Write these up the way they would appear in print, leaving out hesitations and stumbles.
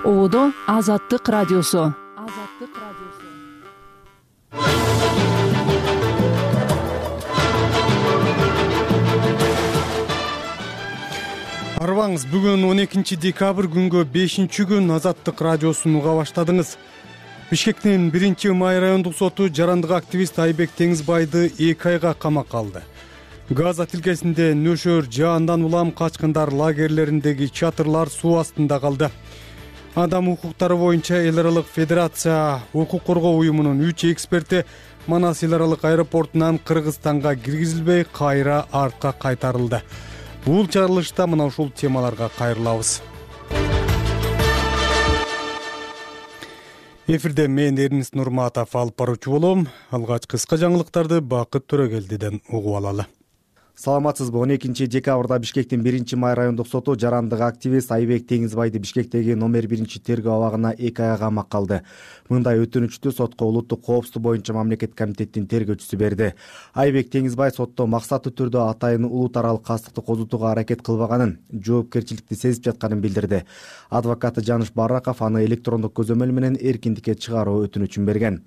Ободо Азаттык радиосу. Арбаңыз, бүгүн 12 декабрь күнгө 5-күн Азаттык радиосун уга баштадыңыз. Бишкектин 1-май райондук соту жарандык активист Айбек Теңизбайды 2 айга камакка алды. Газа тилкесинде нөшөр жаандан улам качкындар лагерлериндеги чатырлар суу астында калды. Адам укуктары боюнча эл аралык федерация укук коргоо уюмунун 3 эксперти Манас эл аралык аэропортунан Кыргызстанга киргизилбей кайра артка кайтарылды. Бул чыгарылышта мына ушул темаларга кайрылабыз. Эфирде мен Эрнис Нурматов алып баруучу болом. Алгач кыска жаңылыктарды Бакыт Төрөгелдиден угуп алалы. Саламатсызбы? 12 декабрда Бишкектин 1-май райондук соту жарандык активист Айбек Теңизбайды Бишкектеги номер 1 тергөө абагына 2 айга камакка алды. Мындай өтүнүчтү сотко улуттук коопсуздук боюнча мамлекет комитеттин тергөөчүсү берди. Айбек Теңизбай сотто максаттуу түрдө атайын улут аралык кастыкты козутууга аракет кылбаганын, жоопкерчиликти сезип жатканын билдирди. Адвокаты Жаныш Бараков аны электрондук көзөмөл менен эркиндикке чыгаруу өтүнүчүн берген.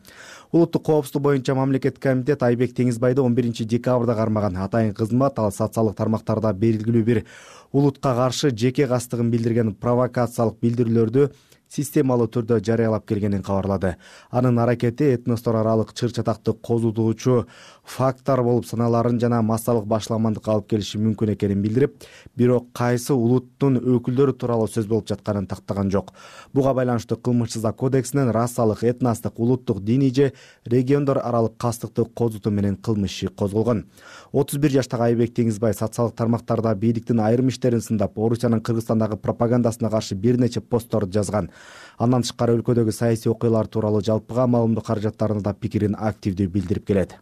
Улуттук коопсуздук боюнча мамлекет комитет Айбек Теңизбайды 11 декабрда кармаган. Атайын кызмат ал социалдык тармактарда белгилүү бир улутка каршы жеке кастыгын билдирген провокациялык билдирүүлөрдү системалуу түрдө жарыялап келгенин кабарлады. Анын аракети этностор аралык чыр чатакты козутуучу фактор болуп саналарын жана массалык башламандыкка алып келиши мүмкүн экенин билдирип, бирок кайсы улуттун өкүлдөрү тууралуу сөз болуп жатканын тактаган жок. Буга байланыштуу кылмыш жаза кодексинин расалык, этностук, улуттук, диний же региондор аралык кастыкты козутуу менен кылмыш иши козголгон. 31 жаштагы Айбек Теңизбай социалдык тармактарда бийликтин айрым иштерин сындап, Орусиянын Кыргызстандагы пропагандасына каршы бир нече посттор жазган. Андан тышкары өлкөдөгү саясий окуялар тууралуу жалпыга маалымдоо каражаттарында да пикирин активдүү билдирип келет.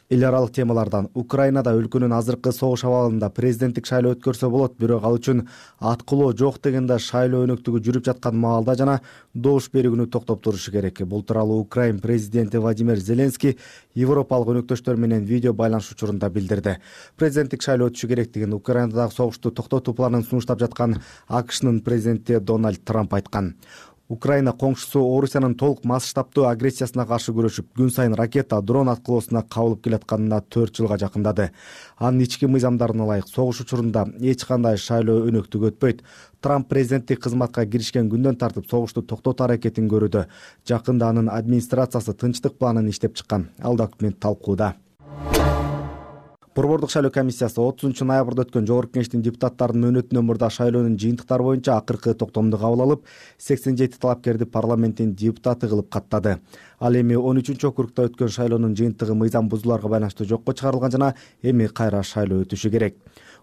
Эл аралык темалардан Украинада өлкөнүн азыркы согуш абалында президенттик шайлоо өткөрсө болот, бирок ал үчүн аткылоо жок дегенде шайлоо өнөктүгү жүрүп жаткан маалда жана добуш берүү күнү токтоп турушу керек. Бул тууралуу Украин президенти Владимир Зеленский Европалык өнөктөштөр менен видео байланыш учурунда билдирди. Президенттик шайлоо өтүшү керектигин Украинадагы согушту токтотуу планын сунуштап жаткан АКШнын президенти Дональд Трамп айткан. Украина коңшусу Орусиянын толук масштабтуу агрессиясына каршы күрөшүп, күн сайын ракета, дрон аткылоосуна кабылып келатканына 4 жылга жакындады. Анын ички мыйзамдарына ылайык согуш учурунда эч кандай шайлоо өнөктүгү өтпөйт. Трамп президенттик кызматка киришкен күндөн тартып согушту токтотуу аракетин көрүүдө. Жакында анын администрациясы тынчтык планын иштеп чыккан. Ал документ талкууда. Борбордук шайлоо комиссиясы 30-ноябрда өткөн Жогорку Кеңештин депутаттарынын өнөтүнөн мурда шайлоонун жыйынтыктары боюнча акыркы токтомду кабыл алып, 87 талапкерди парламенттин депутаты кылып каттады. Ал эми 13-округда өткөн шайлоонун жыйынтыгы мыйзам бузууларга байланыштуу жокко чыгарылган жана эми кайра шайлоо өтүшү керек.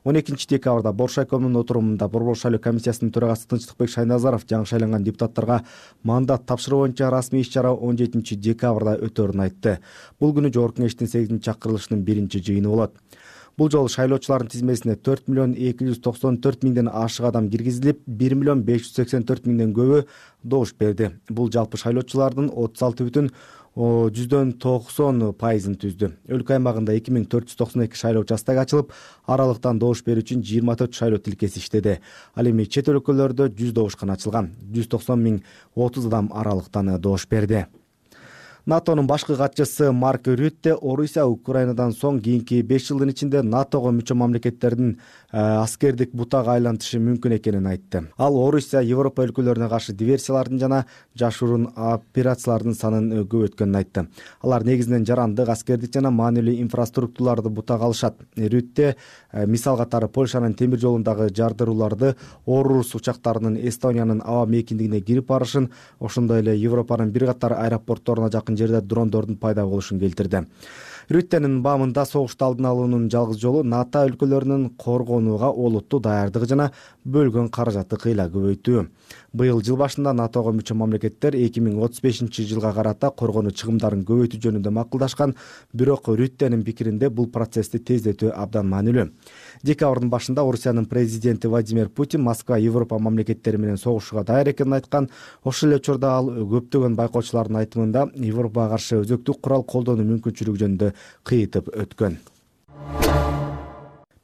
12 декабрда Боршайкомдун отурумунда Борбордук шайлоо комиссиясынын төрагасы Тынчтыкбек Шайназаров жаңы шайланган депутаттарга мандат тапшыруу боюнча расмий иш-чара 17 декабрда өтөрүн айтты. Бул күнү Жогорку Кеңештин 8-чакырылышынын 1-жыйыны болот. Бул жолу шайлоочулардын тизмесине 4.294.000ден ашык адам киргизилип, 1.584.000ден көбү добуш берди. Бул жалпы шайлоочулардын 36,90% түздү. Өлкө аймагында 2492 шайлоо участогу ачылып, аралыктан добуш берүү үчүн 24 шайлоо тилкеси иштеди. Ал эми чет өлкөлөрдө 100 добушкана ачылган. 190.030 адам аралыктан добуш берди. НАТОнун башкы катчысы Марк Рютте Орусия Украинадан соң кийинки 5 жылдын ичинде НАТОго мүчө мамлекеттердин аскердик бутага айлантышы мүмкүн экенин айтты. Ал Орусия Европа өлкөлөрүнө каршы диверсиялардын жана жашыруун операциялардын санын көбөйткөнүн айтты. Алар негизинен жарандык, аскердик жана маанилүү инфраструктураларды бутага алышат. Рютте мисал катары Польшанын темир жолундагы жардырууларды, Орус учактарынын Эстониянын аба мейкиндигине кирип барышын, ошондой эле Европанын бир катар аэропортторуна жакын жерде дрондордун пайда болушун келтирди. Рюттенин баамында согушту алдын алуунун жалгыз жолу НАТО өлкөлөрүнүн коргонууга олуттуу даярдыгы жана бөлгөн каражатты кыйла көбөйтүү. Быйыл жыл башында НАТОго мүчө мамлекеттер 2035 жылга карата коргонуу чыгымдарын көбөйтүү жөнүндө макулдашкан, бирок Рюттенин пикиринде бул процессти тездетүү абдан маанилүү. Декабрдын башында Орусиянын президенти Владимир Путин Москва Европа мамлекеттери менен согушууга даяр экенин айткан. Ошол эле учурда ал көптөгөн байкоочулардын айтымында Европага каршы өзөктүк курал колдонуу мүмкүнчүлүгү жөнүндө кыйытып өткөн.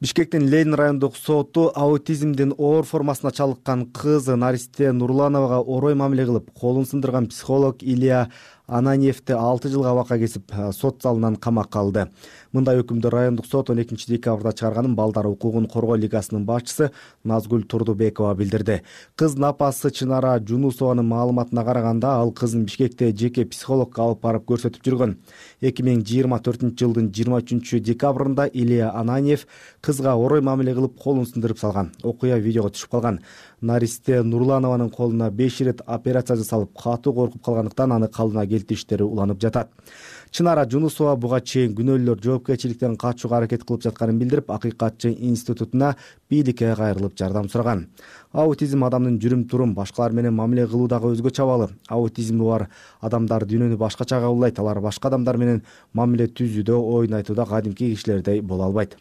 Бишкектин Ленин райондук соту аутизмдин оор формасына чалыккан кыз Наристе Нурлановага орой мамиле кылып, колун сындырган психолог Илья Ананьевди 6 жылга абакка кесип, сот залынан камакка алды. Мындай өкүмдү райондук сот 12 декабрда чыгарганын Балдар укугун коргоо лигасынын башчысы Назгүл Турдубекова билдирди. Кыздын апасы Чынара Жунусованын маалыматына караганда, ал кызын Бишкекте жеке психологко алып барып көрсөтүп жүргөн. 2024-жылдын 23 декабрында Илья Ананьев кызга орой мамиле кылып, колун сындырып салган. Окуя видеого түшүп калган. Наристе Нурланованын колуна 5 ирет операция жасалып, катуу коркуп калгандыктан аны калдына келтириштери уланып жатат. Чынара Жунусова буга чейин күнөөлөр жоопкерчиликтен качууга аракет кылып жатканын билдирип, Акыйкатчы институтуна бийликке кайрылып жардам сураган. Аутизм адамдын жүрүм-турум, башкалар менен мамиле кылуудагы өзгөчө абалы. Аутизми бар адамдар дүйнөнү башкача кабылдайт. Алар башка адамдар менен мамиле түзүүдө, оюн айтууда кадимки кишилердей боло албайт.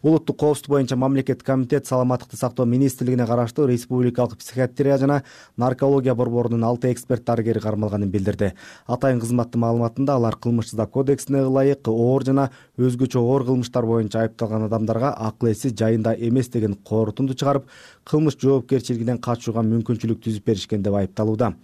Улуттук коопсуздук боюнча мамлекеттик комитет саламаттыкты сактоо министрлигине караштуу Республикалык психиатрия жана наркология борборунун 6 эксперт дарыгери кармалганын билдирди. Атайын кызматтын маалыматында алар кылмыш-жаза кодексине ылайык оор жана өзгөчө оор кылмыштар боюнча айыпталган адамдарга акыл эси жайында эмес деген корутунду чыгарып, кылмыш жоопкерчилигинен качууга мүмкүнчүлүк түзүп беришкен деп айыпталууда.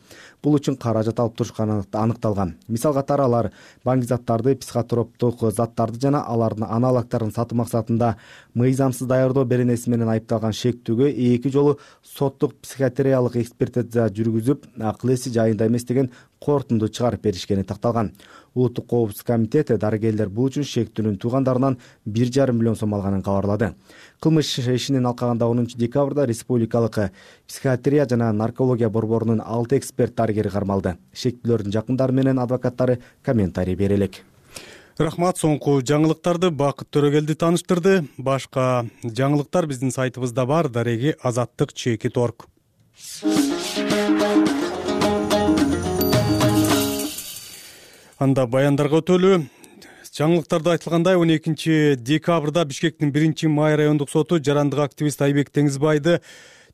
Бул үчүн каражат алып турушканы аныкталган. Мисал катары алар баңгизаттарды, психотроптук заттарды жана алардын аналогдорун сатуу максатында мыйзамсыз даярдоо беренеси менен айыпталган шектүүгө 2 жолу соттук психиатриялык экспертиза жүргүзүп, акыл эси жайында эмес деген корутунду чыгарып беришкени такталган. Улуттук коопсуздук комитети дарыгерлер бул үчүн шектүүнүн туугандарынан 1,5 миллион сом алганын кабарлады. Кылмыш ишинин алкагында 10 декабрда Республикалык психиатрия жана наркология борборунун 6 эксперт дарыгери кармалды. Шектүүлөрдүн жакындары менен адвокаттары комментарий бере элек. Рахмат. Соңку жаңылыктарды Бакыт Төрөгелди тааныштырды. Башка жаңылыктар биздин сайтыбызда бар. Дареги azаттык.org. Анда баяндарга өтөлү. Жаңылыктарда айтылгандай, 12 декабрда Бишкектин 1-Май райондук соту жарандык активист Айбек Теңизбайды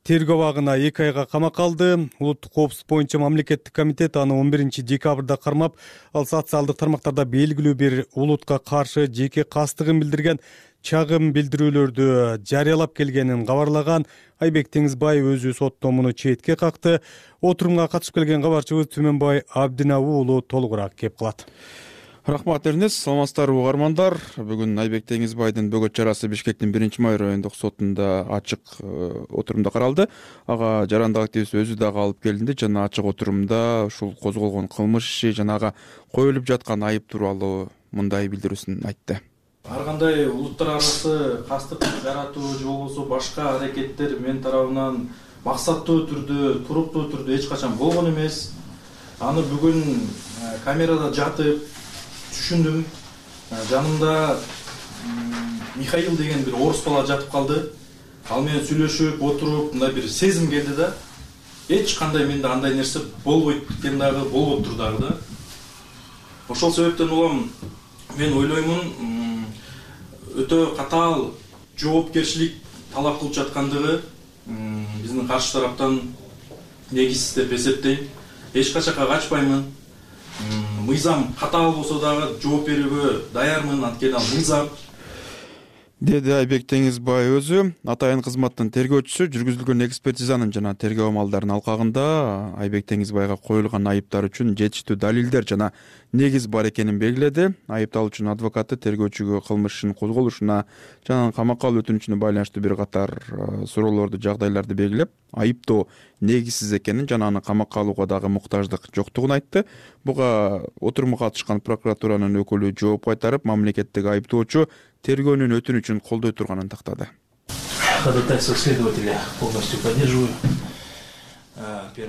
тергөө абагына 2 айга камакка алды. Улуттук коопсуздук боюнча мамлекеттик комитет аны 11 декабрда кармап, ал социалдык тармактарда белгилүү бир улутка каршы жеке кастыгын билдирген чагым билдирүүлөрдү жарыялап келгенин кабарлаган. Айбек Теңизбай өзү сотто муну четке какты. Отурумга катышып келген кабарчыбыз Түмөнбай Абдинабы уулу толугураак кеп калат. Рахмат Эрнес, саламатсыздарбы угармандар. Бүгүн Айбек Теңизбайдын бөгөт чарасы Бишкектин 1-Май райондук сотунда ачык отурумда каралды. Ага жарандык активист өзү дагы алып келинди жана ачык отурумда ушул козголгон кылмыш иши жана ага коюлуп жаткан айып тууралуу мындай билдирүүсүн айтты. Ар кандай улуттар арасы кастык жаратуу же болбосо башка аракеттер мен тарабынан максаттуу түрдө, туруктуу түрдө эч качан болгон эмес. Аны бүгүн камерада жатып түшүндүм. Жанымда Михаил деген бир орус бала жатып калды. Ал менен сүйлөшүп, отуруп, мындай бир сезим келди да. Эч кандай менде андай нерсе болбойт экен дагы, болбоптур дагы да. Ошол себептен улам мен ойлоймун, өтө катаал жоопкерчилик талап кылып жаткандыгы биздин каршы тараптан негизсиз деп эсептейм. Эч качакка качпаймын. Мыйзам катаал болсо дагы жооп берүүгө даярмын, анткени ал мыйзам. Деди Айбек Теңизбай өзү. Атайын кызматтын тергөөчүсү жүргүзүлгөн экспертизанын жана тергөө амалдарынын алкагында Айбек Теңизбайга коюлган айыптар үчүн жетиштүү далилдер жана негиз бар экенин белгиледи. Айыпталуучунун адвокаты тергөөчүгө кылмыш ишин козголушуна жана камакка алуу өтүнүчүнө байланыштуу бир катар суроолорду, жагдайларды белгилеп, айыптоо негизсиз экенин жана аны камакка алууга дагы муктаждык жоктугун айтты. Буга отурумга катышкан прокуратуранын өкүлү жооп кайтарып, мамлекеттик айыптоочу тергөөнүн өтүнүчүн колдой турганын тактады. Ходатайство следователя полностью поддерживаю.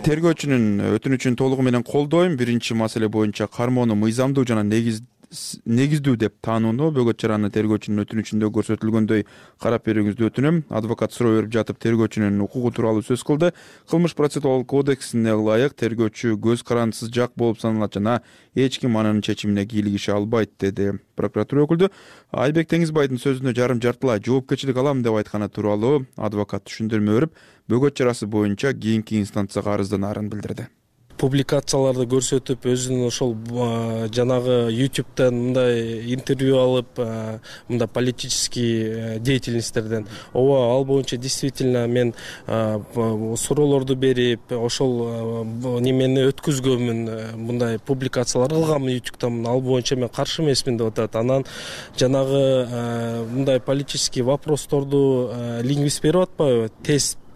Тергөөчүнүн өтүнүчүн толугу менен колдойм. Биринчи маселе боюнча кармоону мыйзамдуу жана негиздүү деп таанууну бөгөт чараны тергөөчүнүн өтүнүчүндө көрсөтүлгөндөй карап берүүңүздү өтүнөм. Адвокат суроо берип жатып тергөөчүнүн укугу тууралуу сөз кылды. Кылмыш процессуалдык кодексине ылайык тергөөчү көз карандысыз жак болуп саналат жана эч ким анын чечимине кийлигише албайт, деди прокуратура өкүлдү. Айбек Теңизбайдын сөзүнө жарым-жартылай жоопкерчилик алам деп айтканы тууралуу адвокат түшүндүрмө берип, бөгөт чарасы боюнча кийинки инстанцияга арызданаарын билдирди. публикацияларды көрсөтүп өзүнүн ошол жанагы YouTube'дан мындай интервью алып мындай политический деятельностьтерден ооба ал боюнча действительно мен суроолорду берип ошол немени өткөзгөнмүн, мындай публикациялар кылганмын YouTube'дан, ал боюнча мен каршы эмесмин деп атат. Анан жанагы мындай политический вопросторду лингвист берип атпайбы,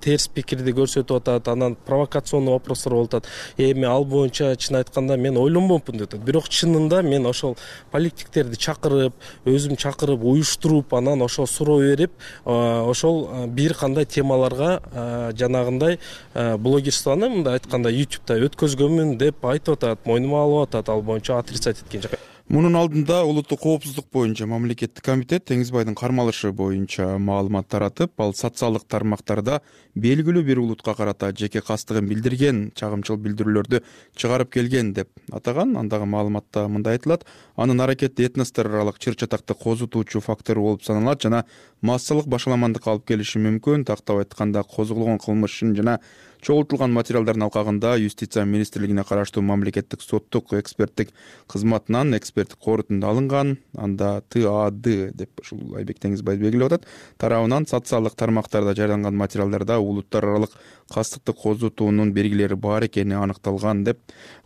терс пикирди көрсөтүп атат, анан провокационный вопростор болуп атат. Эми ал боюнча чын айтканда мен ойлонбопмун деп атат. Бирок чынында мен ошол политиктерди чакырып, өзүм чакырып, уюштуруп, анан ошол суроо берип, ошол бир кандай темаларга жанагындай блогерствону мындай айтканда YouTube'да өткөзгөнмүн деп айтып атат, мойнума алып атат, ал боюнча отрицать эткен жок. Мунун алдында улуттук коопсуздук боюнча мамлекеттик комитет Теңизбайдын кармалышы боюнча маалымат таратып, ал социалдык тармактарда белгилүү бир улутка карата жеке кастыгын билдирген чагымчыл билдирүүлөрдү чыгарып келген деп атаган. Андагы маалыматта мындай айтылат: анын аракети этностор аралык чыр-чатакты козутуучу фактор болуп саналат жана массалык башаламандыкка алып келиши мүмкүн. Тактап айтканда, козголгон кылмыш ишин жана чогултулган материалдардын алкагында Юстиция министрлигине караштуу мамлекеттик соттук эксперттик кызматынан эксперттик корутунду алынган. Анда ТАД деп ушул Айбек Теңизбай белгилеп атат. Тарабынан социалдык тармактарда жарыяланган материалдарда улуттар аралык кастыкты козутуунун белгилери бар экени аныкталган деп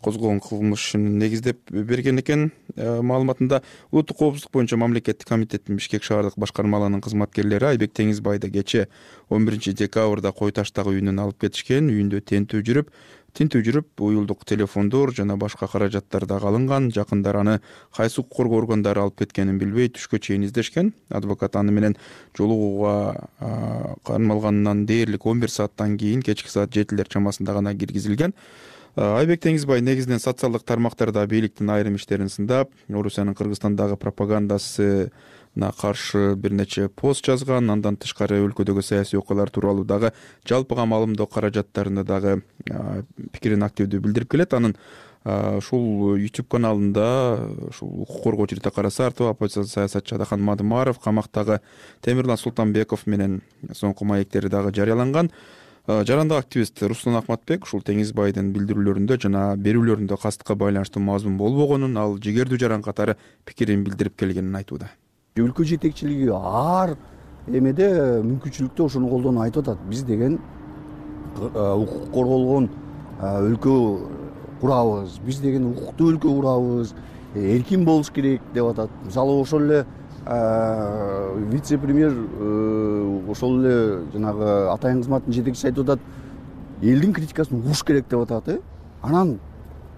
козголгон кылмышын негиздеп берген экен. Маалыматында улуттук коопсуздук боюнча мамлекеттик комитеттин Бишкек шаардык башкармалыгынын кызматкерлери Айбек Теңизбайды кече 11 декабрда Кой таштагы үйүнөн алып кетишкен. Үйүндө тинтүү жүрүп уюлдук телефондор жана башка каражаттар дагы алынган. Жакындар аны кайсы укук коргоо органдары алып кеткенин билбей түшкө чейин издешкен. Адвокат аны менен жолугууга кармалгандан дээрлик 11 сааттан кийин кечки саат 7 чамасында гана киргизилген. Айбек Теңизбай негизинен социалдык тармактарда бийликтин айрым иштерин сындап, Орусиянын Кыргызстандагы пропагандасына каршы бир нече пост жазган. Андан тышкары өлкөдөгү саясий окуялар тууралуу дагы жалпыга маалымдоо каражаттарында дагы пикирин активдүү билдирип келет. Анын ушул YouTube каналында ушул укук коргоочу Рита Карасартова, оппозициялык саясатчы Адахан Мадымаров, камактагы Темирлан Султанбеков менен соңку маектери дагы жарыяланган. Жарандык активист Руслан Ахматбек ушул Теңизбайдын билдирүүлөрүндө жана берүүлөрүндө кастыкка байланыштуу мазмун болбогонун, ал жигердүү жаран катары пикирин билдирип келгенин айтууда. Өлкө жетекчилиги ар эмеде мүмкүнчүлүктө ошону колдонуп айтып атат. Биз деген укук корголгон өлкө курабыз, биз деген укуктуу өлкө курабыз, эркин болуш керек деп атат. Мисалы ошол эле вице-премьер ошол эле жанагы атайын кызматтын жетекчиси айтып атат, элдин критикасын угуш керек деп атат. Анан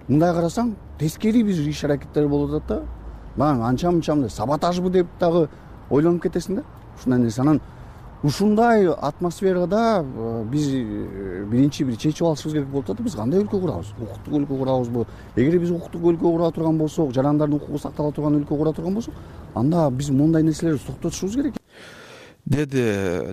мындай карасаң, тескери бир иш аракеттер болуп атат да. Мына анча-мынча саботажбы деп дагы ойлонуп кетесиң да. Ушундай нерсе. Анан ушундай атмосферада биз биринчи бир чечип алышыбыз керек болуп атат. Биз кандай өлкө курабыз? Укуктук өлкө курабызбы? Эгер биз укуктук өлкө кура турган болсок, жарандардын укугу сактала турган өлкө кура турган болсок, анда биз мондай нерселерди токтотушубуз керек. Деди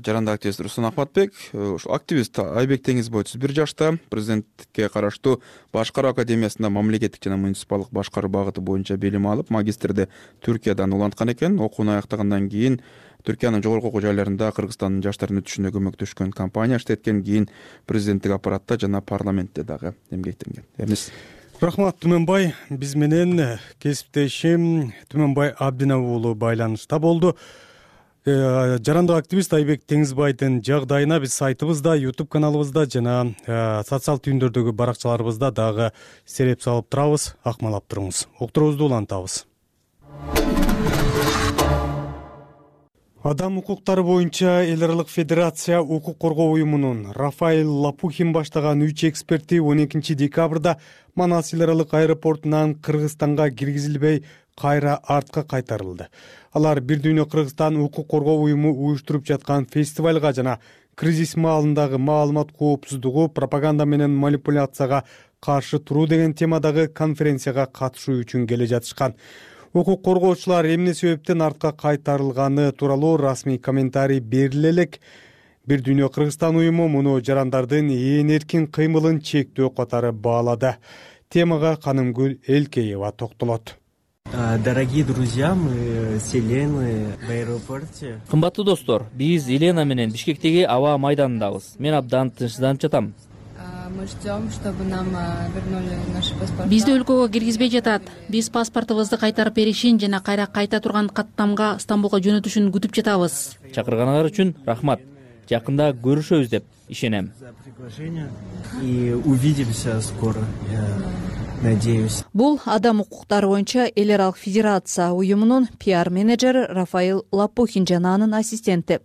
жарандык активист Руслан Ахматбек. Ушул активист Айбек Теңизбай 31 жашта, президенттикке караштуу Башкаруу академиясында мамлекеттик жана муниципалдык башкаруу багыты боюнча билим алып, магистрди Түркиядан уланткан экен. Окууну аяктагандан кийин Түркиянын жогорку окуу жайларында Кыргызстандын жаштардын өтүшүнө көмөктөшкөн компания иштеткен, кийин президенттик аппаратта жана парламентте дагы эмгектенген. Эрнис. Рахмат Түмөнбай. Биз менен кесиптешим Түмөнбай Абдинов уулу байланышта болду. Жарандык активист Айбек Теңизбайдын жагдайына биз сайтыбызда, YouTube каналыбызда жана социал түйүндөрдөгү баракчаларыбызда дагы сереп салып турабыз. Акмалап туруңуз. Уктуруубузду улантабыз. Адам укуктары боюнча эл аралык федерация укук коргоо уюмунун Рафаэль Лапухин баштаган 3 эксперти 12 декабрда Манас эл аралык аэропортунан Кыргызстанга киргизилбей кайра артка кайтарылды. Алар Бир дүйнө Кыргызстан укук коргоо уюму уюштуруп жаткан фестивалга жана кризис маалындагы маалымат коопсуздугу, пропаганда менен манипуляцияга каршы туруу деген темадагы конференцияга катышуу үчүн келе жатышкан. Укук коргоочулар эмне себептен артка кайтарылганы тууралуу расмий комментарий бериле элек. Бир дүйнө Кыргызстан уюму муну жарандардын ээн эркин кыймылын чектөө катары баалады. Темага Канымгүл Элкеева токтолот. Дорогие друзья, мы с Еленой в аэропорте. Кымбаттуу достор, биз Елена менен Бишкектеги аба майданындабыз. Мен абдан тынчсызданып жатам. ждем, чтобы нам вернули наши паспорта. Бизди өлкөгө киргизбей жатат. Биз паспортубузду кайтарып беришин жана кайра кайта турган каттамга Стамбулга жөнөтүшүн күтүп жатабыз. Чакырганыңар үчүн рахмат. Жакында көрүшөбүз деп ишенем. И увидимся скоро. Надеюсь. Бул адам укуктары боюнча эл аралык федерация уюмунун пиар менеджери Рафаил Лапухин жана анын ассистенти.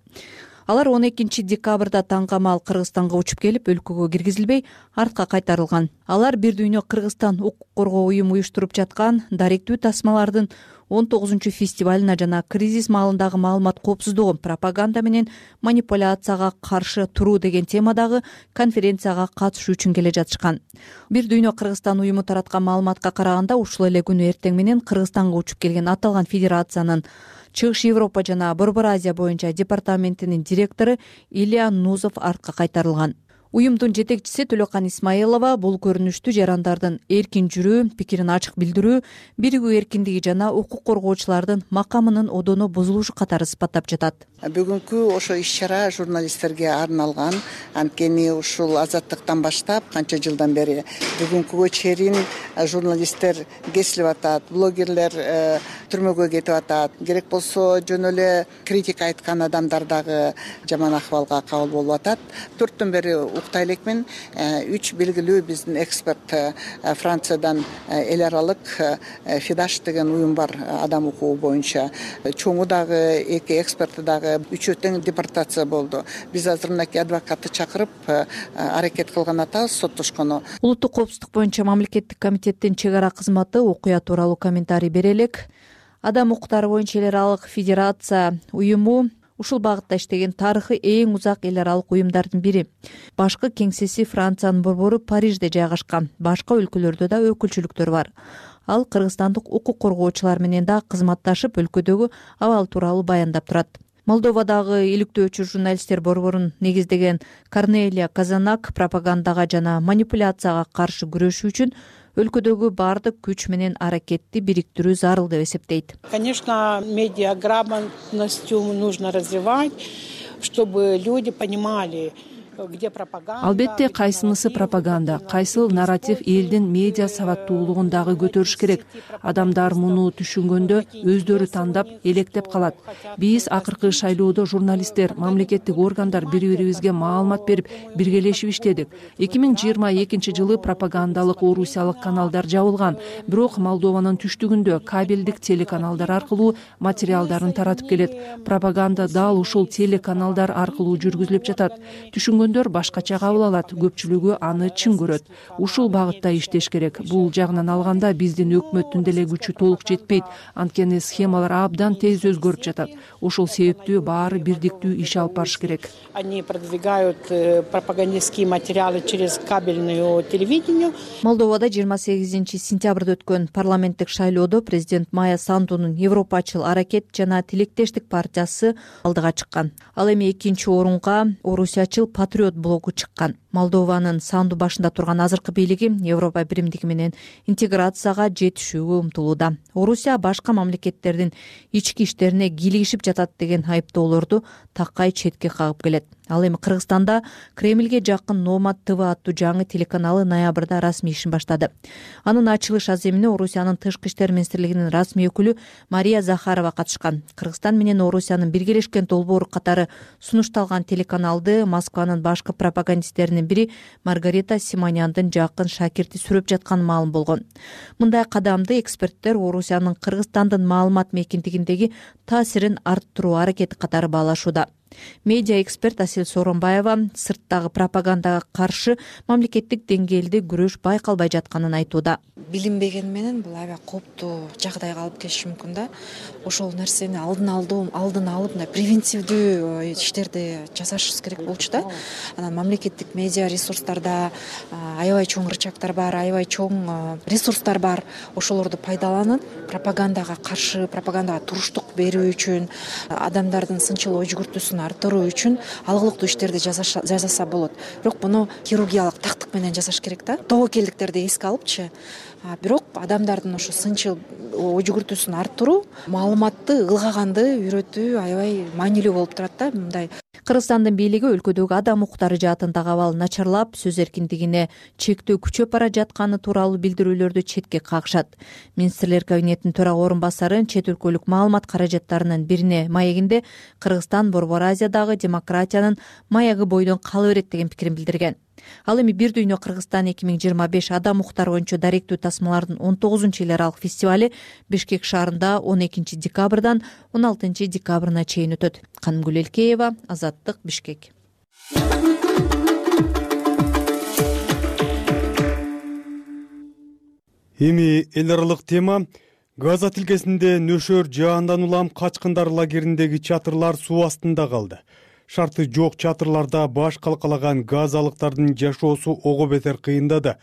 Алар 12 декабрда таңгамал Кыргызстанга учуп келип, өлкөгө киргизилбей, артка кайтарылган. Алар Бир дүйнө Кыргызстан укук коргоо уюму уюштуруп жаткан даректүү тасмалардын 19 фестивалына жана кризис маалындагы маалымат коопсуздугу, пропаганда менен манипуляцияга каршы туруу деген темадагы конференцияга катышуу үчүн келе жатышкан. Бир дүйнө Кыргызстан уюму тараткан маалыматка караганда, ушул эле күнү эртең менен Кыргызстанга учуп келген аталган федерациянын Чыгыш Европа жана Борбор Азия боюнча департаментинин директору Илья Нузов артка кайтарылган. Уюмдун жетекчиси Төлөкан Исмаилова бул көрүнүштү жарандардын эркин жүрүү, пикирин ачык билдирүү, биригүү эркиндиги жана укук коргоочулардын макамынын одону бузулушу катары сыпаттап жатат. Бүгүнкү ошо иш-чара журналисттерге арналган. Анткени ушул азаттыктан баштап канча жылдан бери бүгүнкүгө чейин журналисттер кесилип атат, блогерлер түрмөгө кетип атат. Керек болсо жөн эле критика айткан адамдар дагы жаман акыбалга кабыл болуп атат. 4 бери уктай элекмин. 3 белгилүү биздин эксперт Франциядан эл аралык Фидаш деген уюм бар адам укугу боюнча. Чоңу дагы 2 эксперти дагы 3 тең депортация болду. Биз азыр мынакей адвокатты чакырып аракет кылган атабыз соттошкону. Улуттук коопсуздук боюнча мамлекеттик комитеттин чек ара кызматы окуя тууралуу комментарий бере элек. Адам укуктары боюнча эл аралык федерация уюму ушул багытта иштеген тарыхы эң узак эл аралык уюмдардын бири. Башкы кеңсеси Франциянын борбору Парижде жайгашкан. Башка өлкөлөрдө да өкүлчүлүктөр бар. Ал кыргызстандык укук коргоочулар менен да кызматташып, өлкөдөгү абал тууралуу баяндап турат. Молдовадагы иликтөөчү журналисттер борборун негиздеген Корнелия Казанак пропагандага жана манипуляцияга каршы күрөшүү үчүн өлкөдөгү баардык күч менен аракетти бириктирүү зарыл деп эсептейт. Конечно, медиаграмотностью нужно развивать, чтобы люди понимали, где пропаганда. Албетте кайсынысы пропаганда, кайсыл нарратив элдин медиа сабаттуулугун дагы көтөрүш керек. Адамдар муну түшүнгөндө өздөрү тандап, электеп калат. Биз акыркы шайлоодо журналисттер, мамлекеттик органдар бири-бирибизге маалымат берип, биргелешип иштедик. 2022 жылы пропагандалык орусиялык каналдар жабылган, бирок Молдованын түштүгүндө кабелдик телеканалдар аркылуу материалдарын таратып келет. Пропаганда дал ушул телеканалдар аркылуу жүргүзүлүп жатат. Түшүнгөндөр башкача кабыл алат, көпчүлүгү аны чын көрөт. Ушул багытта иштеш керек. Бул жагынан алганда биздин өкмөттүн деле күчү толук жетпейт, анткени схемалар абдан тез өзгөрүп жатат. Ушул себептүү баары бирдиктүү иш алып барыш керек. Они продвигают пропагандистские материалы через кабельное телевидение. Молдовада 28 сентябрда өткөн парламенттик шайлоодо президент Майя Сандунун Европачыл аракет жана Тилектештик партиясы алдыга чыккан. Ал эми 2-орунга Орусиячыл Патриот блогу чыккан. Молдованын Санду башында турган азыркы бийлиги Европа биримдиги менен интеграцияга жетишүүгө умтулууда. Орусия башка мамлекеттердин ички иштерине кийлигишип жатат деген айыптоолорду такай четке кагып келет. Ал эми Кыргызстанда Кремльге жакын Номад ТВ аттуу жаңы телеканалы ноябрда расмий ишин баштады. Анын ачылыш аземине Орусиянын тышкы иштер министрлигинин расмий өкүлү Мария Захарова катышкан. Кыргызстан менен Орусиянын биргелешкен долбоору катары сунушталган телеканалды Москванын башкы пропагандисттеринин бири Маргарита Симоняндын жакын шакирти сүрөп жатканы маалым болгон. Мындай кадамды эксперттер Орусиянын Кыргызстандын маалымат мейкиндигиндеги таасирин арттыруу аракети катары баалашууда. Медиа эксперт Асел Сооронбаева сырттагы пропагандага каршы мамлекеттик деңгээлде күрөш байкалбай жатканын айтууда. Билинбеген менен бул аябай кооптуу жагдайга алып келиши мүмкүн да. Ошол нерсени алдын алып превентивдүү иштерди жасашыбыз керек болчу да. Анан мамлекеттик медиа ресурстарда аябай чоң рычагдар бар, аябай чоң ресурстар бар. Ошолорду пайдаланып, пропагандага каршы, пропагандага туруштук берүү үчүн, адамдардын сынчыл ой жүгүртүүсүн арттыруу үчүн алгылыктуу иштерди жасаса болот. Бирок муну хирургиялык тактык менен жасаш керек да. Тобокелдиктерди эске алыпчы, бирок адамдардын ошо сынчыл ой жүгүртүүсүн арттыруу, маалыматты ылгаганды үйрөтүү аябай маанилүү болуп турат да. Мындай Кыргызстандын бийлиги өлкөдөгү адам укуктары жаатындагы абал начарлап, сөз эркиндигине чектөө күчөп бара жатканы тууралуу билдирүүлөрдү четке кагышат. Министрлер кабинетинин төрага орун басары чет өлкөлүк маалымат каражаттарынын бирине маегинде Кыргызстан Борбор Азиядагы демократиянын маягы бойдон кала берет деген пикирин билдирген. Ал эми Бир дүйнө Кыргызстан 2025 адам укуктары боюнча даректүү тасмалардын 19 эл аралык фестивали Бишкек шаарында 12 декабрдан 16 декабрына чейин өтөт. Канымгүл Элкеева, Азаттык, Бишкек. Эми эл аралык тема. Газа тилкесинде нөшөр жаандан улам качкындар лагериндеги чатырлар суу астында калды. Шарты жок чатырларда баш калкалаган газалыктардын жашоосу ого бетер кыйындады.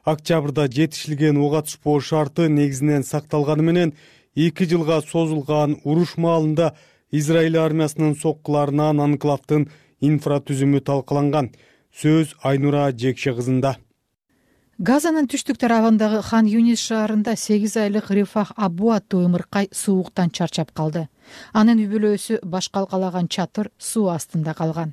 Октябрда жетишилген ок атышпоо шарты негизинен сакталганы менен 2 жылга созулган уруш маалында Израиль армиясынын соккуларынан анклавдын инфратүзүмү талкаланган. Сөз Айнура Жекше кызында. Газанын түштүк тарабындагы Хан Юнис шаарында 8 айлык Рифах Абу аттуу ымыркай сууктан чарчап калды. Анын үй бүлөсү баш калкалаган чатыр суу астында калган.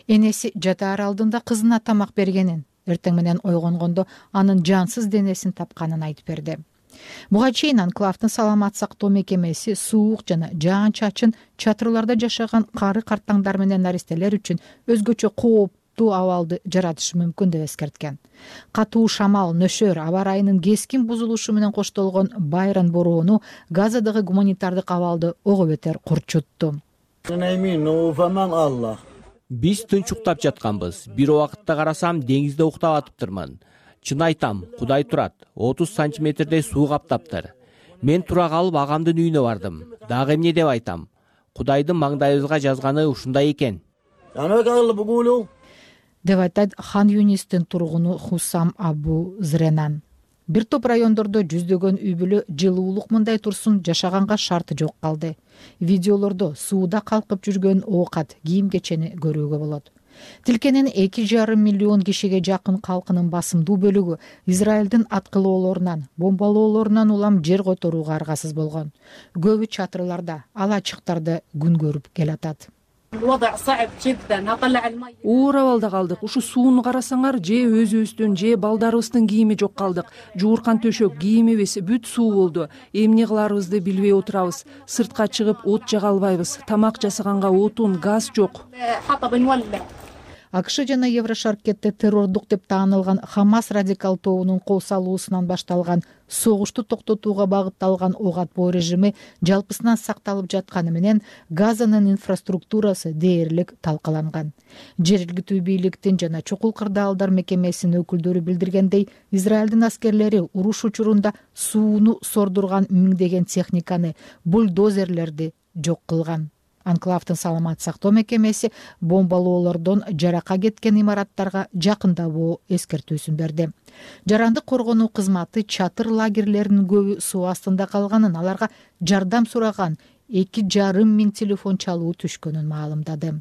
Энеси жатаар алдында кызына тамак бергенин, эртең менен ойгонгондо анын жансыз денесин тапканын айтып берди. Буга чейин анклавдын саламат сактоо мекемеси суук жана жаан чачын чатырларда жашаган кары картаңдар менен наристелер үчүн өзгөчө кооптуу абалды жаратышы мүмкүн деп эскерткен. Катуу шамал, нөшөр, аба ырайынын кескин бузулушу менен коштолгон байран бороону Газадагы гуманитардык абалды ого бетер курчутту. Биз тынч уктап жатканбыз. Бир убакытта карасам, деңизде уктап атыптырмын. Чын айтам, Кудай турат. 30 сантиметрдей суу каптаптыр. Мен тура калып агамдын үйүнө бардым. Дагы эмне деп айтам? Кудайдын маңдайыбызга жазганы ушундай экен. Деп айтат Хан Юнистин тургуну Хусам Абу Зренан. Бир топ райондордо жүздөгөн үй бүлө жылуулук мындай турсун жашаганга шарты жок калды. Видеолордо сууда калкып жүргөн оокат, кийим-кечени көрүүгө болот. Тилкенин 2,5 миллион кишиге жакын калкынын басымдуу бөлүгү Израилдин аткылоолорунан, бомбалоолорунан улам жер которууга аргасыз болгон. Көбү чатырларда, ал ачыктарда күн көрүп келатат. Оор абалда калдык. Ушу сууну карасаңар, же өзүбүздүн, же балдарыбыздын кийими жок калдык. Жууркан төшөк, кийимибиз бүт суу болду. Эмне кыларыбызды билбей отурабыз. Сыртка чыгып от жага албайбыз. Тамак жасаганга отун, газ жок. АКШ жана Еврошаркетте террордук деп таанылган Хамас радикал тобунун кол салуусунан башталган согушту токтотууга багытталган ок атпоо режими жалпысынан сакталып жатканы менен Газанын инфраструктурасы дээрлик талкаланган. Жергиликтүү бийликтин жана чокул кырдаалдар мекемесинин өкүлдөрү билдиргендей, Израилдин аскерлери уруш учурунда сууну сордурган миңдеген техниканы, бульдозерлерди жок кылган. Анклавдын саламат сактоо мекемеси бомбалоолордон жарака кеткен имараттарга жакындабоо эскертүүсүн берди. Жарандык коргонуу кызматы чатыр лагерлеринин көбү суу астында калганын, аларга жардам сураган 2,5 миң телефон чалуу түшкөнүн маалымдады.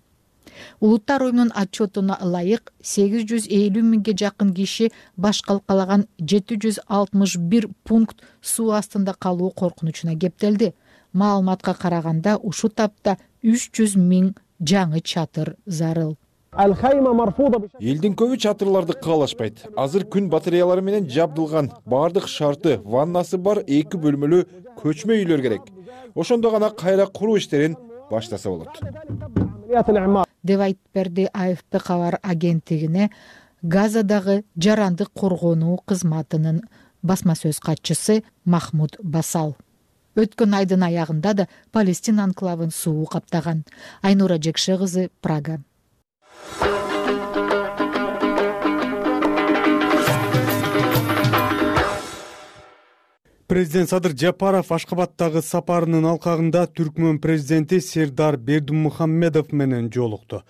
Улуттар уюмунун отчетуна ылайык 850 миңге жакын киши баш калкалаган 761 пункт суу астында калуу коркунучуна кептелди. Маалыматка караганда ушул тапта 300 миң жаңы чатыр зарыл. Элдин көбү чатырларды каалашпайт. Азыр күн батареялары менен жабдылган, бардык шарты, ваннасы бар 2 бөлмөлүү көчмө үйлөр керек. Ошондо гана кайра куруу иштерин баштаса болот. Деп айтып берди АФП кабар агенттигине Газадагы жарандык коргонуу кызматынын басма сөз катчысы Махмуд Басал. Өткөн айдын аягында да Палестина анклавын суу каптаган. Айнура Жекше кызы, Прага. Президент Садыр Жапаров Ашкабадтагы сапарынын алкагында Түркмөн президенти Сердар Бердимухаммедов менен жолукту.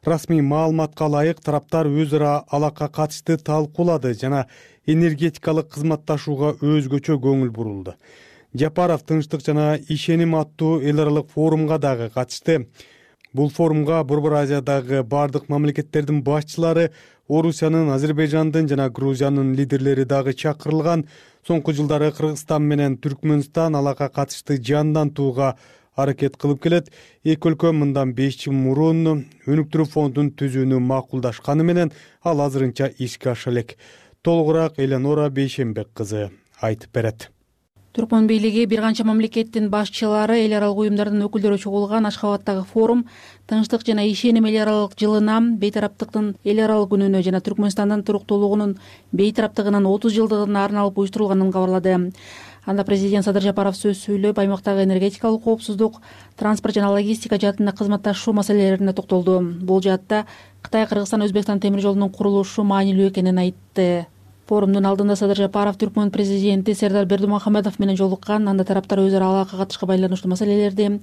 Расмий маалыматка ылайык тараптар өз ара алакка катышты талкуулады жана энергетикалык кызматташууга өзгөчө көңүл бурулду. Жапаров тынчтык жана ишеним аттуу эл аралык форумга дагы катышты. Бул форумга Борбор Азиядагы бардык мамлекеттердин башчылары, Орусиянын, Азербайжандын жана Грузиянын лидерлери дагы чакырылган. Соңку жылдары Кыргызстан менен Түркмөнстан аларга катышты жандантууга аракет кылып келет. Эки өлкө мындан 5 жыл мурун өнүктүрүү фондун түзүүнү макулдашканы менен ал азырынча ишке аша элек. Толугураак Эленора Бейшенбек кызы айтып берет. Түркмөн бийлиги бир канча мамлекеттин башчылары, эл аралык уюмдардын өкүлдөрү чогулган Ашхабадтагы форум тынчтык жана ишеним эл аралык жылына, бейтараптыктын эл аралык күнүнө жана Түркмөнстандын туруктуулугунун бейтараптыгынын 30 жылдыгына арналып уюштурулганын кабарлады. Анда президент Садыр Жапаров сөз сүйлөп, аймактагы энергетикалык коопсуздук, транспорт жана логистика жаатында кызматташуу маселелерине токтолду. Бул жаатта Кытай, Кыргызстан, Өзбекстан темир жолунун курулушу маанилүү экенин айтты. Форумдун алдында Садыр Жапаров Түркмөн президенти Сердар Бердимухамедов менен жолуккан. Анда тараптар өз ара алака катышка байланыштуу маселелерди,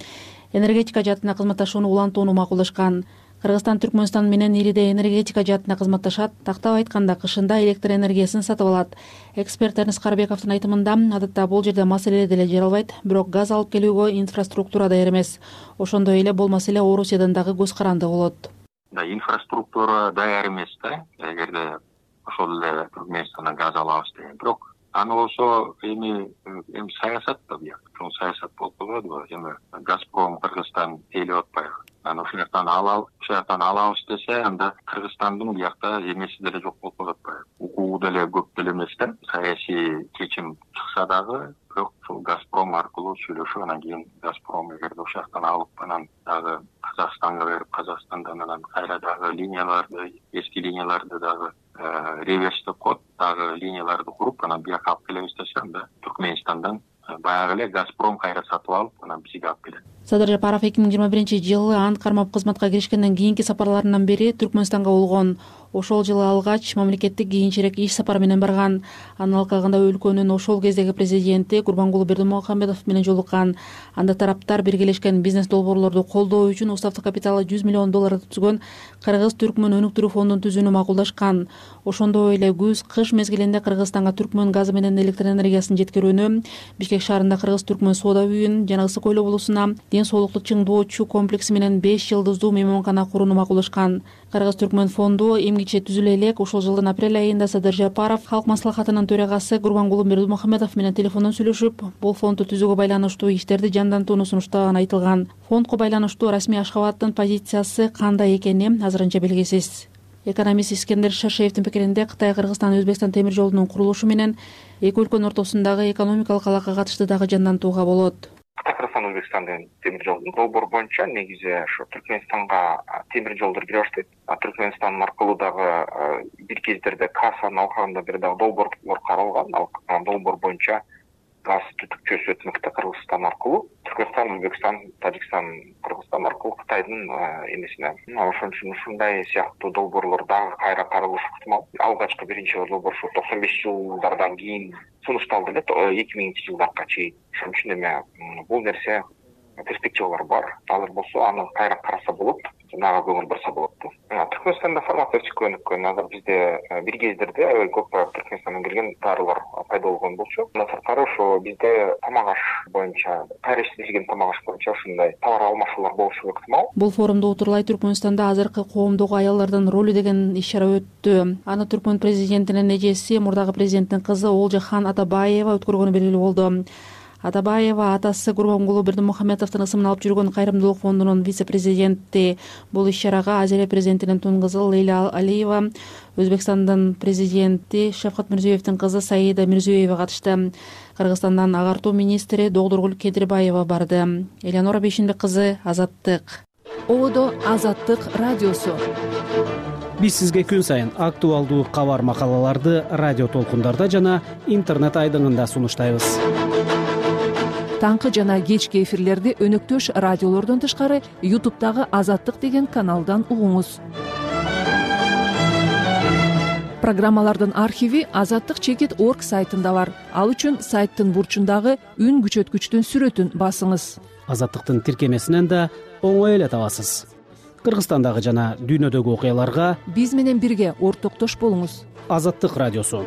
энергетика жаатында кызматташууну улантууну макулдашкан. Кыргызстан Түркмөнстан менен ириде энергетика жаатында кызматташат. Тактап айтканда, кышында электр энергиясын сатып алат. Эксперт Эрнис Карбековдун айтымында, адатта бул жерде маселе деле жаралбайт, бирок газ алып келүүгө инфраструктура даяр эмес. Ошондой эле бул маселе Орусиядан дагы көз каранды болот. Инфраструктура даяр эмес да, эгерде ошол эле Түркмөнстандан газ алабыз деген. Бирок аны болсо эми саясат да бияк. Ошол саясат болуп калбадыбы? Эми Газпром Кыргызстан тейлеп атпайбы? Аны ошол жактан алабыз десе, анда Кыргызстандын биякта эмеси деле жок болуп калып атпайбы? Укугу деле көп деле эмес да. Саясий чечим чыкса дагы, бирок ушул Газпром аркылуу сүйлөшүп, анан кийин Газпром эгерде ошол жактан алып, анан дагы Казакстанга берип, Казакстандан анан кайра дагы линияларды, эски линияларды дагы реверс деп коет, дагы линияларды куруп, анан бияка алып келебиз десе, анда Түркмөнстандан баягы эле Газпром кайра сатып алып, анан бизге алып келет. Садыр Жапаров 2021-жылы ант кармап кызматка киришкенден кийинки сапарларынан бери Түркмөнстанга болгон. Ошол жылы алгач мамлекеттик кийинчерээк иш сапары менен барган. Анын алкагында өлкөнүн ошол кездеги президенти Гурбангулы Бердимухамедов менен жолуккан. Анда тараптар биргелешкен бизнес долбоорлорду колдоо үчүн уставдык капиталы $100 миллион түзгөн Кыргыз-Түркмөн өнүктүрүү фондун түзүүнү макулдашкан. Ошондой эле күз-кыш мезгилинде Кыргызстанга Түркмөн газы менен электр энергиясын жеткирүүнү, Бишкек шаарында Кыргыз-Түркмөн соода үйүн жана Ысык Койлоо болусуна ден соолукту чыңдоочу комплекси менен 5 жылдыздуу мейманкана курууну макулдашкан. Кыргыз-Түркмөн фонду эмгиче түзүлө элек. Ошол жылдын апрель айында Садыр Жапаров Халк маслахатынын төрагасы Гурбангулы Бердимухамедов менен телефондон сүйлөшүп, бул фондду түзүүгө байланыштуу иштерди жандантууну сунуштаганы айтылган. Фондко байланыштуу расмий Ашхабадтын позициясы кандай экени азырынча белгисиз. Экономист Искендер Шашеевдин пикиринде, Кытай, Кыргызстан, Өзбекстан темир жолунун курулушу менен эки өлкөнүн ортосундагы экономикалык алака катышты дагы жандантууга болот. Кытай, Кыргызстан, Өзбекстандын темир жолунун долбоор боюнча негизи ошо Түркмөнстанга темир жолдор кире баштайт. Түркмөнстан аркылуу дагы бир кездерде Касанын алкагында бир дагы долбоорлор каралган. Ал долбоор боюнча газ түтүкчөсү өтмөктө Кыргызстан аркылуу. Түркмөнстан, Өзбекстан, Тажикстан, Кыргызстан аркылуу Кытайдын эмесине. Ошон үчүн ушундай сыяктуу долбоорлор дагы кайра каралышы ыктымал. Алгачкы биринчи долбоор 95 жылдардан кийин сунушталды эле, 2000-жылдарга чейин. Ошон үчүн эми бул нерсе перспективалар бар. Алар болсо аны кайра караса болот, жанагы көңүл бурса болот. Түркмөнстанда фармацевтика өнүккөн. Азыр бизде бир кездерде көп Түркмөнстандан келген дарылар пайда болгон болчу. Андан сырткары ошо бизде тамак аш боюнча, кайра иштелген тамак аш боюнча ушундай товар алмашуулар болушу ыктымал. Бул форумду утурлай Түркмөнстанда азыркы коомдогу аялдардын ролу деген иш-чара өттү. Аны Түркмөн президентинин эжеси, мурдагы президенттин кызы Олжахан Атабаева өткөргөнү белгилүү болду. Атабаева атасы Гурбангулы Бердимухамедовдун ысымын алып жүргөн Кайрымдуулук фондунун вице-президенти. Бул иш-чарага Азия президентинин тун кызы Лейла Алиева, Өзбекстандын президенти Шавкат Мирзиёевдин кызы Саида Мирзиёева катышты. Кыргызстандан агартуу министри Догдургул Кедирбаева барды. Эленора Бейшенбек кызы, Азаттык. Ободо Азаттык радиосу. Биз сизге күн сайын актуалдуу кабар макалаларды радио толкундарда жана интернет айдыңында сунуштайбыз. Таңкы жана кечки эфирлерди өнөктөш радиолордон тышкары YouTube'дагы Азаттык деген каналдан угуңуз. Программалардын архиви azattik.org сайтында бар. Ал үчүн сайттын бурчундагы үн күчөткүчтүн сүрөтүн басыңыз. Азаттыктын тиркемесинен да оңой эле табасыз. Кыргызстандагы жана дүйнөдөгү окуяларга биз менен бирге ортоктош болуңуз. Азаттык радиосу.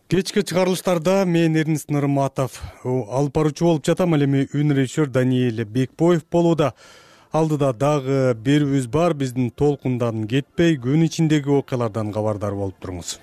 Кечки чыгарылыштарда мен Эрнис Нырматов алып баруучу болуп жатам. Ал эми үн режиссер Даниэль Бекбоев болууда. Алдыда дагы берүүбүз бар. Биздин толкундан кетпей күн ичиндеги окуялардан кабардар болуп туруңуз.